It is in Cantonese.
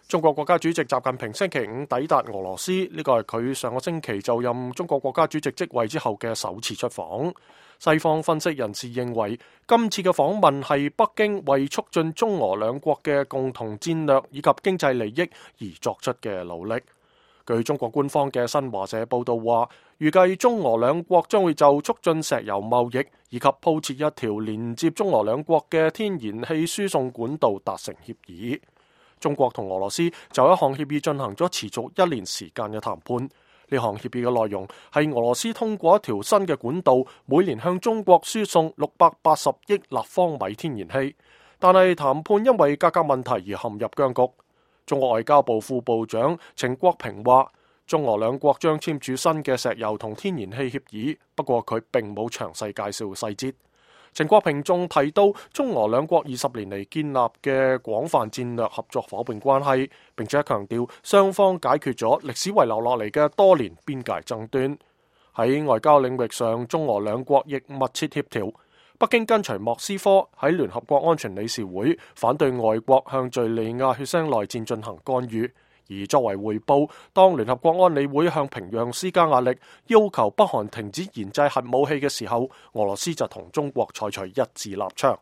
中國國家主席習近平星期五抵達俄羅斯，呢個係佢上個星期就任中國國家主席職位之後嘅首次出訪。西方分析人士認為，今次嘅訪問係北京為促進中俄兩國嘅共同戰略以及經濟利益而作出嘅努力。據中國官方嘅新華社報道話，預計中俄兩國將會就促進石油貿易以及鋪設一條連接中俄兩國嘅天然氣輸送管道達成協議。中國同俄羅斯就一項協議進行咗持續1年時間嘅談判。呢項協議嘅內容係俄羅斯通過一條新嘅管道，每年向中國輸送680億立方米天然氣。但係談判因為價格問題而陷入僵局。中國外交部副部長程國平話，中俄兩國將簽署新嘅石油同天然氣協議，不過佢並冇詳細介紹細節。程國平仲提到，中俄兩國20年嚟建立嘅廣泛戰略合作夥伴關係，並且強調雙方解決咗歷史遺留落嚟嘅多年邊界爭端。喺外交領域上，中俄兩國亦密切協調。北京跟隨莫斯科喺聯合國安全理事會反對外國向敘利亞血腥內戰進行干預，而作為回報，當聯合國安理會向平壤施加壓力，要求北韓停止研製核武器嘅時候，俄羅斯就同中國採取一致立場。